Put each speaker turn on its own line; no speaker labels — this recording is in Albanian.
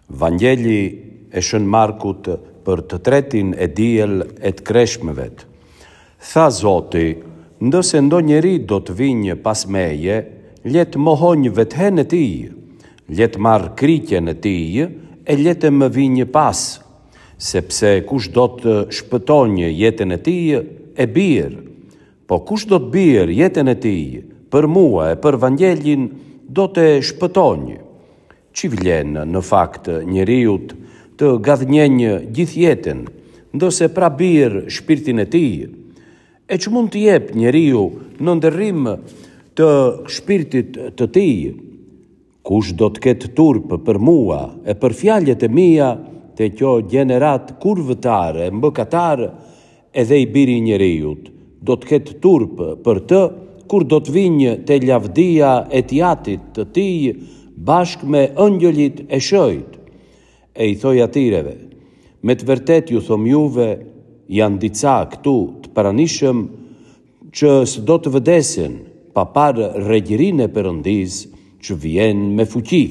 Vangjeli e Shën Markut për të tretin e diel e të kreshmëvet. Tha Zoti, Ndëse ndonjeri do të vinjë pas meje, le të mohonjë vetëhen e tij, le të marrë kriqen e tij e le të më vinjë pas. Sepse kush do të shpëtonjë jetën e tij, e bjerë. Po kush do të bjerë jetën e tij për mua e për Vangjelin, do të shpëtonjë. Ç'i vlen në fakt njeriut të gadhnjenjë gjithë jetën, ndëse pra bjerë shpirtin e tij? E ç'mund të jep njeriu në ndërrim të shpirtit të tij? Kush do të ketë turp për mua e për fjalët e mia te kjo gjeneratë kurvëtare e mëkatare, edhe i biri i njeriut do të ketë turp për të kur do të vinjë te lavdia e t'jatit të tij bashkë me ëngjëllit e shëjt. E i thoi atyreve, Me të vërtetë ju thom juve, janë dica këtu të pranishëm që s'do të vdesin pa parë regjërinë e Perëndisë që vjen me fuqi.